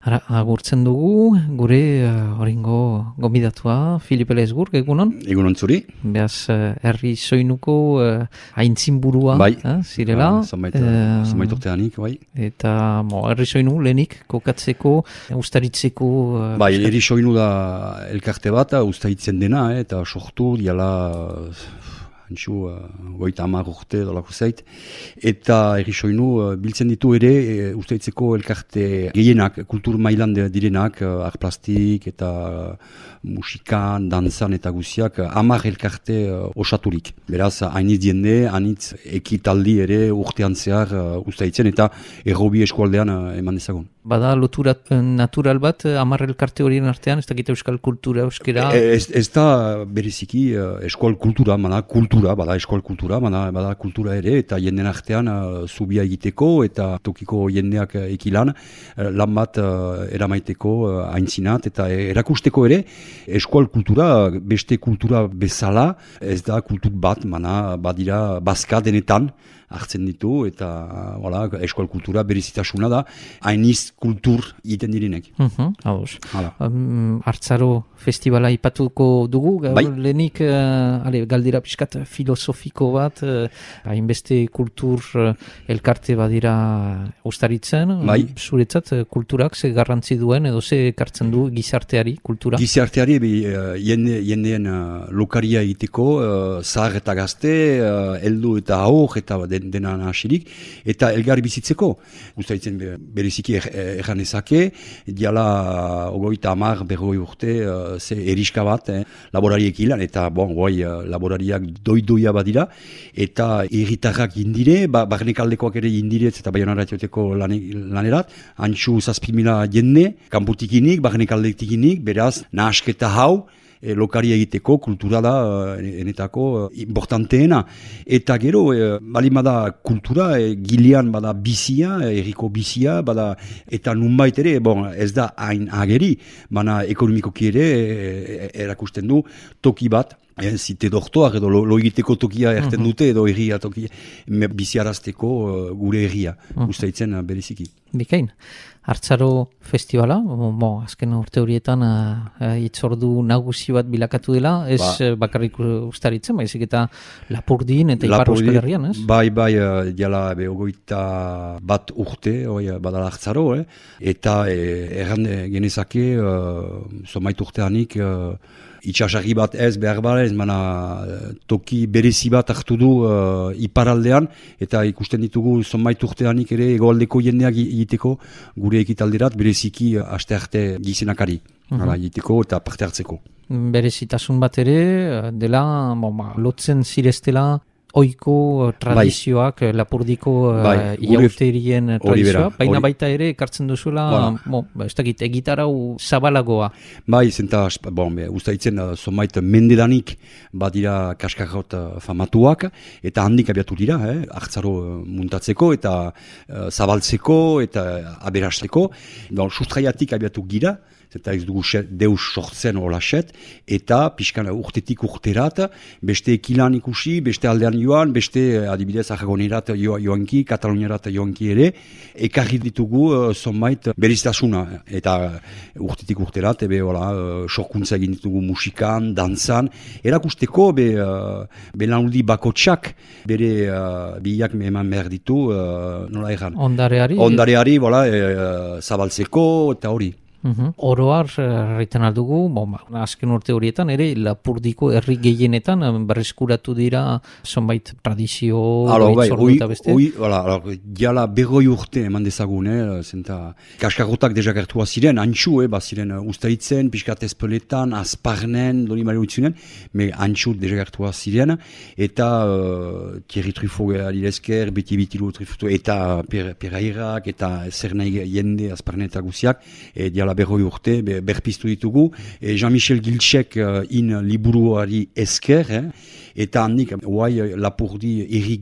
Agurtzen dugu, gure oringo gomidatua, Filipe Lesgur, egunon? Egunon zuri. Beaz, herri soinuko aintzinburua zirela. Zomait urteanik, bai. Eta herri soinu lehenik kokatzeko, ustaritzeko... Herri soinu da elkarte bat, ustaritzen dena, eta sortu, diala... Antxu, goita 10 urte dolako zait. Eta herri soinu biltzen ditu ere usteitzeko elkarte gehienak, kultur mailan direnak, art plastik eta musikan, dantzan eta guziak, 10 elkarte osaturik. Beraz, hainitz diende, hainitz ekitaldi ere urtean zehar usteitzen eta errobi eskualdean eman dezagun. Bada lotura natural bat, 10 elkarte horien artean, ez dakit euskal kultura, euskera? Ez da bereziki eskual kultura, bada eskual kultura, bada kultura ere, eta jenden artean zubia egiteko, eta tokiko jendeak ekilan, lan bat eramaiteko aintzinat, eta erakusteko ere, eskual kultura, beste kultura bezala, ez da kultur bat, badira bazka denetan, hartzen ditu, eta eskual kultura berezitasuna da, hainiz kultur egiten direnek. Hartzaro festivala ipatuko dugu, lehenik galdera pixkat filosofiko bat, hainbeste kultur elkarte badira ustaritzen, zuretzat kulturak ze garrantzi duen, edo ze ekartzen du gizarteari kultura? Gizarteari jendeen lokaria egiteko, zahar eta gazte, heldu eta haur, eta dena nahasirik, eta elgar bizitzeko. Ustaritzen bereziki erran ezake, diala 30, 40 urte, ze eriska bat, laborariek ilan, eta laborariak doidoia badira, eta erritarrak indire, barnekaldekoak ere indiretz eta baionaratxoteko lanerat, antxu 7.000 jende, kanputikinik, barnekaldekinik, beraz, nahasketa hau, lokaria egiteko, kultura da enetako importanteena. Eta gero, balimada kultura, gilean bada bizia, erriko bizia, bada, eta nunbait ere, ez da hain ageri, baina ekonomikoki ere erakusten du toki bat, zite doktoak edo lo egiteko tokia erten dute edo erria tokia, biziarazteko gure erria, usteitzen bereziki. Bikain. Hartzaro festivala, azken urte horietan hitzordu nagusi bat bilakatu dela, ez bakarrik ustaritzen, baizik eta Lapurdin eta Ipar Euskal Herrian, ez? Diala 21 urte, badala hartzaro, eta erran genezake, zomait urteanik, itxasarri bat ez behar ez, toki berezi bat hartu du iparaldean, eta ikusten ditugu zonbait urteanik ere egoaldeko jendeak egiteko gure ekitalderat bereziki aste gizenakari egiteko eta parte hartzeko. Berezitasun bat ere, dela, lotzen zireztela, oiko tradizioak, Lapurdiko iauterien tradizioa, baina baita ere ekartzen duzuela, ez dakit, egitarau zabalagoa. Zenta, ustaitzen, zonbait mendedanik badira kaskarrot famatuak, eta handik abiatu dira, hartzaro muntatzeko, eta zabaltzeko, eta aberasteko, sustraiatik abiatu gira, eta ez dugu deus sortzen holaset, eta pixkan urtetik urterat, beste ekilan ikusi, beste aldean joan, beste adibidez Aragonerat joanki, Kataluniarat joanki ere, ekarri ditugu zonbait beriztasuna, eta urtetik urterat, sorkuntza egin ditugu musikan, dantzan, erakusteko belanuldi bakotsak, bere biak eman behar ditu, nola erran? Ondareari, zabaltzeko, eta hori. Oroar erraiten aldugu, azken urte horietan ere Lapurdiko herri gehienetan berreskuratu dira zonbait tradizio eta beste? Diala 20 urte eman dezagun, zenta kaskarrotak dezagertua ziren, antxu, ziren ustaitzen, piskat ezpeletan, azparnen, doni mare utzunen, antxu dezagertua ziren, eta Thierry Truffaut adilezker, beti Truffaut, eta Perairak, eta zer nahi jende azparnen eta guziak, diala 20 urte, berpiztu ditugu, Jean-Michel Gilchek liburuari esker, eta handik, Lapurdi erri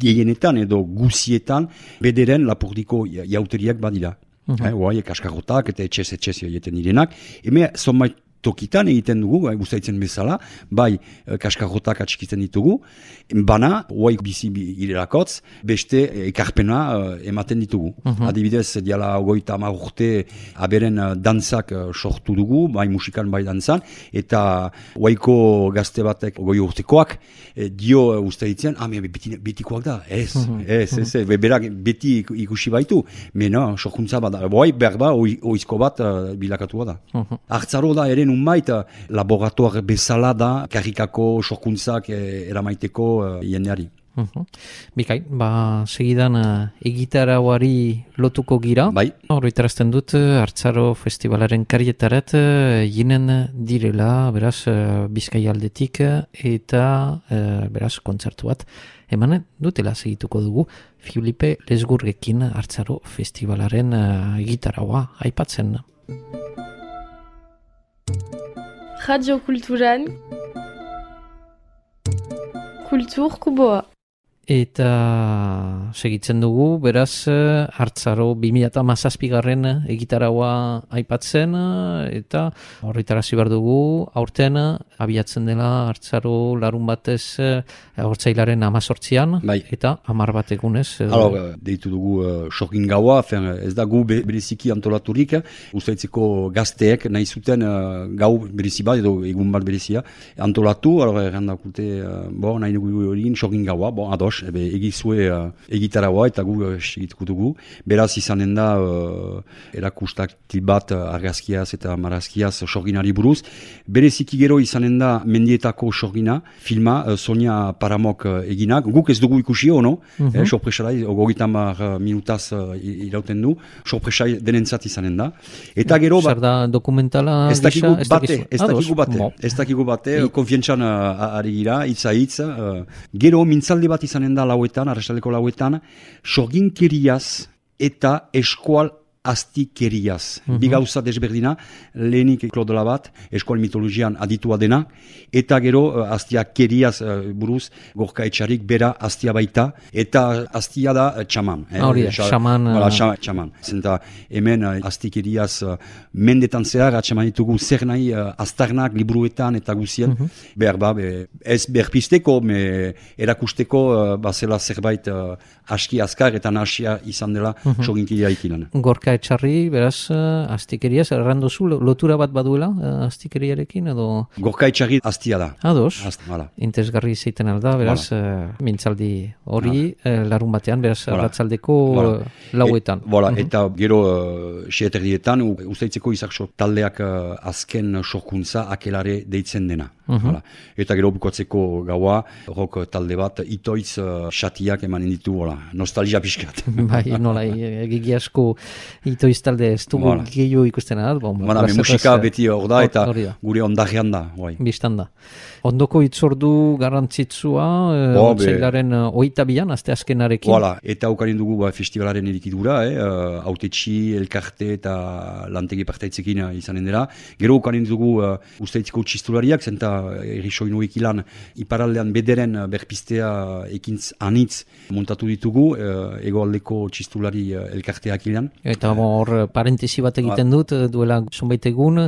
gehienetan edo guzietan, bederen Lapurdiko jauteriak badira. Kaskarrotak eta etxez egiten direnak. Hemen zonbait tokitan egiten dugu, guztaitzen bezala, bai kaskarrotak atxikitzen ditugu, bana, huaik bizi girelakotz, beste ekarpena ematen ditugu. Adibidez, diala 30 urte aberen dantzak sortu dugu, bai musikan, bai dantzan, eta huaiko gazte batek 20 urtekoak, dio guztaitzen, betikoak da, ez, berak beti ikusi baitu, mena, sorkuntza bat da, berba, oizko bat bilakatua da. Hartzaro da ere nunbait laboratoar bezala da karrikako sorkuntzak eramaiteko jendeari. Bikai, segidan egitarauari lotuko gira. Bai. Horretarazten dut, Hartzaro Festivalaren karietarat jinen direla, beraz, Bizkai aldetik eta beraz, kontzertu bat. Eman dutela segituko dugu Filipe Lesgurgekin Hartzaro Festivalaren egitaraua aipatzen. Radio Kulturan Kultur Kuboa. Eta segitzen dugu, beraz, Hartzaro 2017 egitaraua aipatzen, eta horretarazi behar dugu, aurten abiatzen dela Hartzaro larun batez Hortzailaren 18an, bai. Eta 10 bat egunez. Deitu dugu sorgin gaua, ez da gu bereziki antolaturik, ustaitzeko gazteek nahi zuten gau berezi bat, edo egun bat berezia, antolatu, errandakute, nahi dugu egin sorgin gaua, ados, egizue egitaraua eta gu segituko dugu. Beraz izanen da erakustaktil bat argazkiaz eta marazkiaz sorginari buruz. Bereziki gero izanen da mendietako sorgina, filma, Sonia Paramok eginak. Guk ez dugu ikusi ono, sorpresara, 30 minutaz irauten du, sorpresai denentzat izanen da. Eta gero... Zer da dokumentala gisa? Ez dakigu bate, konfientzan ari gira, hitz. Gero mintzalde bat izanen da lauetan, arrasaldeko lauetan, sorginkeriaz eta eskual astikeriaz. Bi gauza desberdina, lehenik Claude Labat, eskual mitologian aditua dena, eta gero astiakeriaz buruz, Gorka Etxarik bera astia baita, eta astia da txaman. Txaman. Zenta hemen astikeriaz mendetan zehar, atxaman ditugu zer nahi aztarnak, liburuetan eta guzien, ez berpisteko, erakusteko bazela zerbait aski azkar eta nahasia izan dela sorginkeria ikilan. Gorka Etxarri, beraz, astikeriaz, errandozu, lotura bat baduela astikeriarekin, edo... Gorka Etxarri astia da. Ados, intezgarri zeiten alda, beraz, mintzaldi hori, larun batean, beraz, ratzaldeko lauetan. Eta gero, xeeterdietan, ustaitzeko izakso taldeak azken sorkuntza akelare deitzen dena. Eta gero bukatzeko gaua, rok talde bat, itoitz xatiak emanen ditu, nostalgia pixkat. Bai, nola, egigi asko itoiz talde ez dugu gehiago ikusten da. Musika beti hor da eta gure ondajean da. Biztan da. Ondoko itzordu garrantzitsua, Otsailaren 22an, aste azkenarekin. Eta aukarin dugu festivalaren edikidura, autetxi, elkarte eta lantegi partaitzekin izanen dela. Gero aukarin dugu usteitziko txistulariak, zenta errisoinu ikilan iparaldean bederen berpistea ekintz anitz montatu ditugu, egoaldeko txistulari elkarteak ilan. Eta hor parentesi bat egiten dut, duela zonbait egun,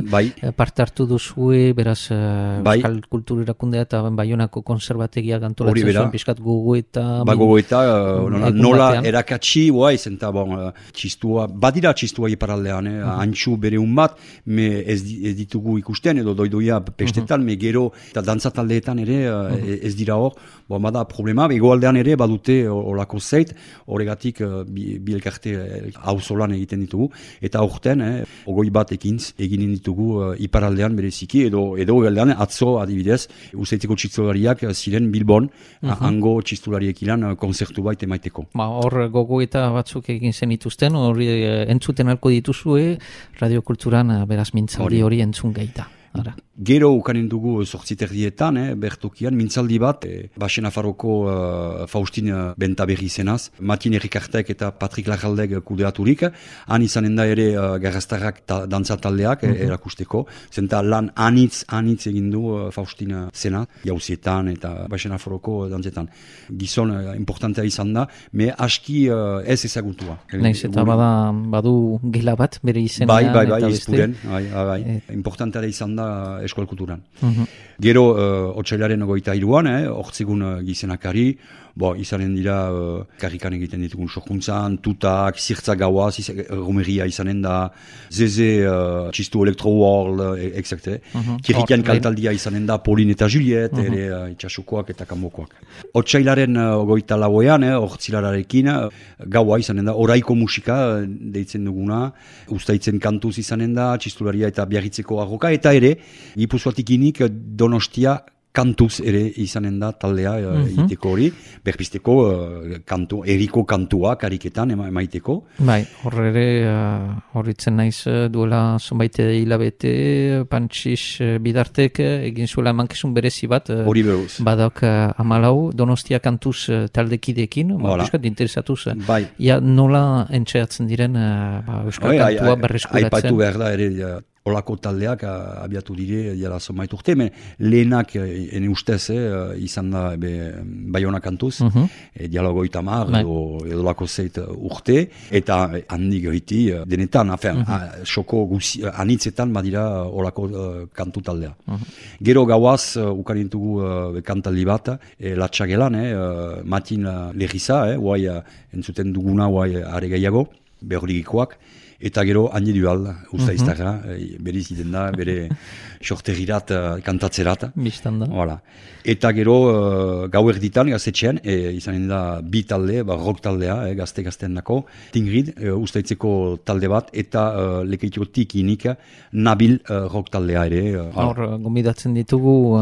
parte hartu duzue, beraz, Euskal Kultur Erakundea eta Baionako konserbategia antolatzen zuen, piskat gogoeta... Gogoeta, nola erakatsi, zenta txistua, badira txistua iparaldean, antxu bere bat, ez ditugu ikusten, edo doidoia pestetan, gero, eta dantzataldeetan ere ez dira hor, bada problema, egoaldean ere badute olako zeit, horregatik bi elkarte auzolan egiten ditugu, eta aurten, 20 bat ekintz egin ditugu iparaldean bereziki, edo egoaldean atzo adibidez, Usteitzeko txistulariak ziren Bilbon, hango txistulariekin lan konzertu bait emaiteko. Hor gogoeta batzuk egin zenituzten, hori entzuten alko dituzue, Radio Kulturan beraz mintzaldi hori entzun gaita. Gero ukanen dugu 8:30 bertokian, mintzaldi bat, Basen Nafarroko Faustin Bentaberri izenaz, Matin Errikartek eta Patrik Lajaldek kudeaturik, han izanen da ere garraztarrak dantza taldeak erakusteko, zenta lan anitz egin du Faustin zena, jauzietan eta Basen Nafarroko dantzetan. Gizon importantea izan da, me aski ez ezagutua. Naiz eta badu gela bat bere izenean. Bai, izpuren, bai. Importantea izan da eskual kulturan. Gero, otsailaren 23an, hortzigun gizenakari, izanen dira karrikan egiten ditugun sorkuntzan, tutak, zirtzak gauaz, romeria izanen da, zeze, txistu Electro World, exacte. Kirrikian kantaldia izanen da, Pauline eta Juliet, ere itxasukoak eta kanbokoak. Otsailaren 24an, hortzilararekin, gaua izanen da, oraiko musika deitzen duguna, ustaitzen kantuz izanen da, txistularia eta biarritzeko arroka, eta ere, Gipuzkoatikinik Donostia kantuz ere izanen da taldea egiteko hori, berpisteko eriko kantua kariketan emaiteko. Bai, horretzen naiz duela zonbait hilabete, Pantxis Bidartek egin zuela emankizun berezi bat, badak 14 Donostia kantuz taldekidekin, euskat interesatuz, nola entxeatzen diren euskal kantua berreskuratzen. Aipatu behar da ere, olako taldeak abiatu dire jala zonbait urte, lehenak ene ustez izan da Baiona kantuz, dialogo itamar edo lako zeit urte, eta handi goiti denetan, xoko anitzetan badira olako kantu taldea. Gero gauaz ukarintugu kantaldi bat, latxagelan, Matin Legiza, guai entzuten duguna guai are gehiago, behorigikoak, eta gero handi dual, ustaiztarra, beriz iten da, bere sorterirat kantatzerat. Bistanda. Voilà. Eta gero gau erditan, gaztetxean, izanen da bi talde, rock taldea, gazte-gaztean nako, Tingrid, ustaitzeko talde bat, eta lekeitiotik inik Nabil rock taldea ere. Hor, gomidatzen ditugu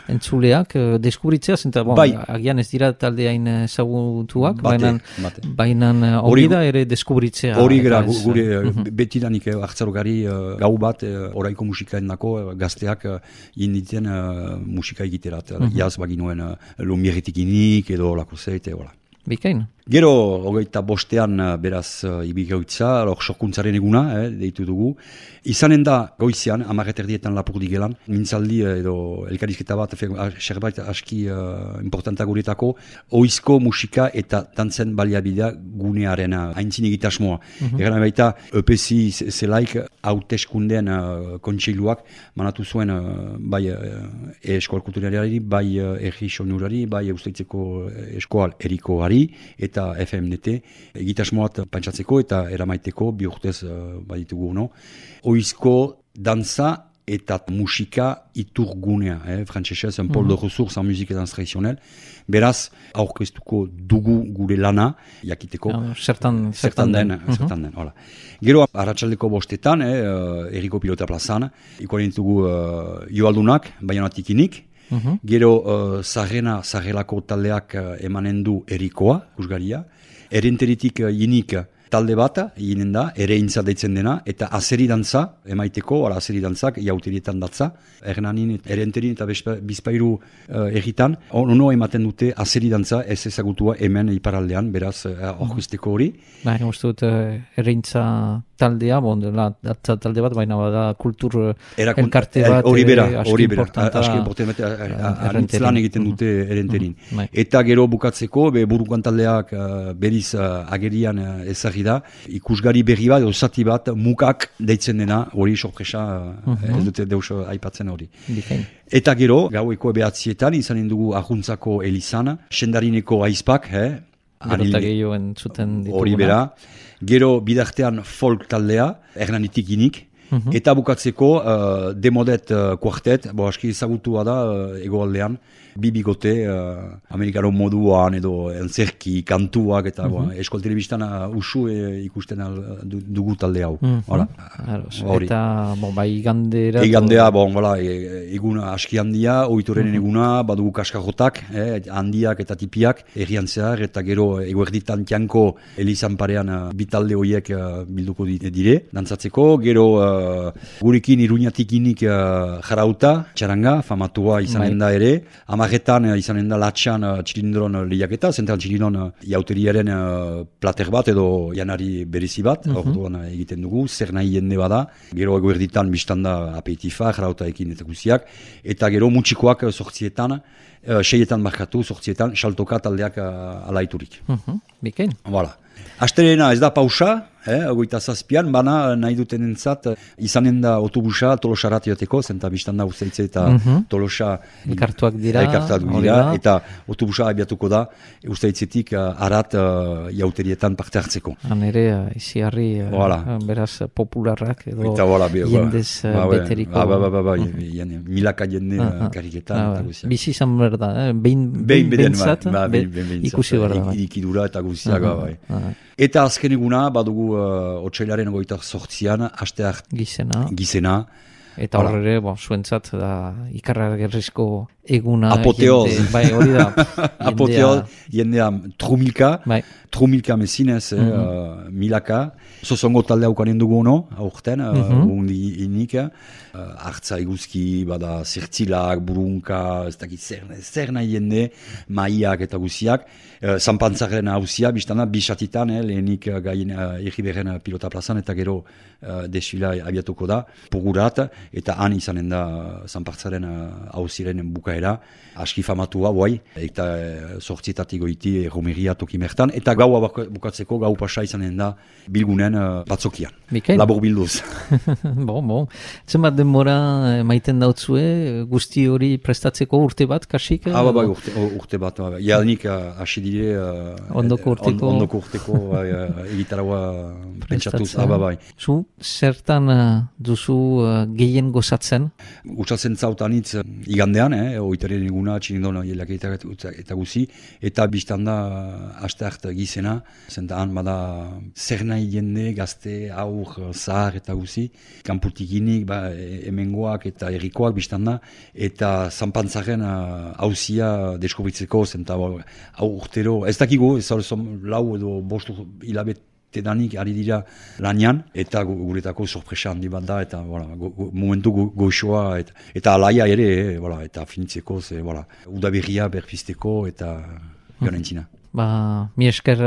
entzuleak, deskubritzea, zenta, agian ez dira taldeain ezagutuak, baina hori da ere deskubritzea. Hori gara, gure betidanik hartzarogari gau bat, oraiko musikaen nako, gazteak inditen musika egiterat. Jaz baginoen lumieretik inik edo lako zeite, hola. Bikain. Gero, 25 beraz ibigauitza, sorkuntzaren eguna, deitu dugu. Izanen da goizian, 10:30 lapurdi gelan, mintzaldi edo elkarizketa bat, serbait aski importanta guretako, oizko musika eta dantzen baliabidea gunearen haintzin egitasmoa. Egan baita, EPSI zelaik hauteskundeen kontseiluak manatu zuen bai eskoal kulturariari, bai erri sonurari, bai usteitzeko eskoal erikoari, eta FMNT egitasmoat pantsatzeko eta eramaiteko bi urtez baditugu no. Oizko dantza eta musika iturgunea, frantsesez, un pôle de ressources en musique et danse traditionnelle. Beraz, aurkeztuko dugu gure lana, jakiteko. Zertan den. Hola. Gero, arratsaldeko 5:00, Eriko Pilota plazan, ikuaren ditugu Joaldunak, Baionatik inik. Gero, Zarrelako taldeak emanen du Erikoa, Kusgaria. Erenteritik inik talde bat, ginen da, ere intza deitzen dena, eta azeri dantza, emaiteko, azeri dantzak, jauterietan datza, erenterin eta bizpairu erritan, ono ematen dute azeri dantza ez ezagutua hemen iparaldean, beraz, orkesteko hori. Baina, uste dut, erintza taldea, datza talde bat, baina bada kultur elkarte bat, hori bera, aski importanta, anitzelan egiten dute erenterin. Eta gero bukatzeko, burukan taldeak beriz agerian ezagri da, ikusgari berri bat, zati bat, mukak deitzen dena, hori sorpresa, ez dute deus aipatzen hori. Eta gero, gaueko 9:00 izanen dugu Arruntzako elizan, Sendarineko aizpak, hori bera, gero bidartean folk taldea, Hernanitik inik, eta bukatzeko Demodet kuartet, aski ezagutua da egoaldean, bibigote, amerikano moduan edo entzerki, kantuak, eta eskol telebistan usu ikusten dugu talde hau. Eta, bai, igandera... Igandea, egun aski handia, oitorenen eguna, badugu kaskajotak, handiak eta tipiak, errian zehar, eta gero eguerditan tianko elizan parean bitalde horiek bilduko dire, dantzatzeko, gero gurekin Iruñatik inik jarauta, txaranga, famatua izanen da ere. Amaretan izanen da latxan txilindron lehiaketa, zentral txilindron jauteriaren plater bat edo janari berezi bat, orduan egiten dugu, zer nahi jende bada. Gero eguerditan biztanda apeitifa, jarauta ekin eta guziak, eta gero mutxikoak sortzietan, seietan markatu, sortzietan, saltoka taldeak alaiturik. Bikain. Voilà. Asterena ez da pausa, 27an, bana nahi duten entzat, izanen da autobusa Tolosarat jateko, zenta biztanda usteitze eta Tolosa elkartuak dira, eta autobusa abiatuko da, usteitzetik arat jauterietan parte hartzeko. Han ere, iziarri, beraz popularrak edo jendez beteriko. Milaka jende kariketan. Bizi izan berda, behin bentsat, ikusi berda. Ikidura eta guziak. Eta azken eguna, badugu otsailaren 28an, asteak gizena. Eta horre, zuentzat, ikarragerrizko eguna. Apoteoz. Bai, hori da. Apoteoz, jendea trumilka mezinez, milaka. Zozongo talde haukanen dugu ono, aurten, undi inik. Artza eguzki, bada zertzilak, burunka, ez dakit zer nahi jende, maiak eta guziak. Zanpantzaren hauzia, biztana, bisatitan, lehenik gaien Irriberren pilota plazan, eta gero desfila abiatuko da, pugurat, eta han izanen da Zanpantzaren hauziren bukaera, aski famatua, bai, eta sortzietatik goiti romeria tokimertan, eta gaua bukatzeko, gau pasa izanen da bilgunen batzokian. Labur bilduz. Bon. Zenbat denbora maiten dautzue, guzti hori prestatzeko urte bat, kasik? Bai, urte bat. Jadanik hasi dire ondoko urteko egitaraua pentsatuz. Bai. Zu, zertan duzu gehien gozatzen? Gutsatzen zautanitz igandean, oitaren eguna, txinindon jelaketa eta guzi, eta biztanda aste hart gizena, zentaan bada zer nahi jende, gazte, aur, zahar eta guzi, kanputikinik, hemengoak eta errikoak biztanda, eta Zanpantzaren hauzia deskobritzeko, zenta urtero, ez dakigu, ez lau edo bostu hilabete danik ari dira lanian, eta guretako sorpresa handi bat da, eta momentu goxoa, eta alaia ere, eta finitzeko, udaberria berpisteko, eta joan entzina. Mi esker,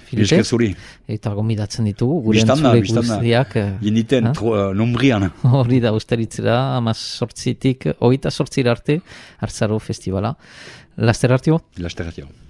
Filipe. Mi esker zuri. Eta gomidatzen ditugu, gure entzule guztiak. Jenditen, nombrian. Hori da, usteritzera, 18tik 28 arte, Hartzaro Festivala. Laster artio? Laster artio.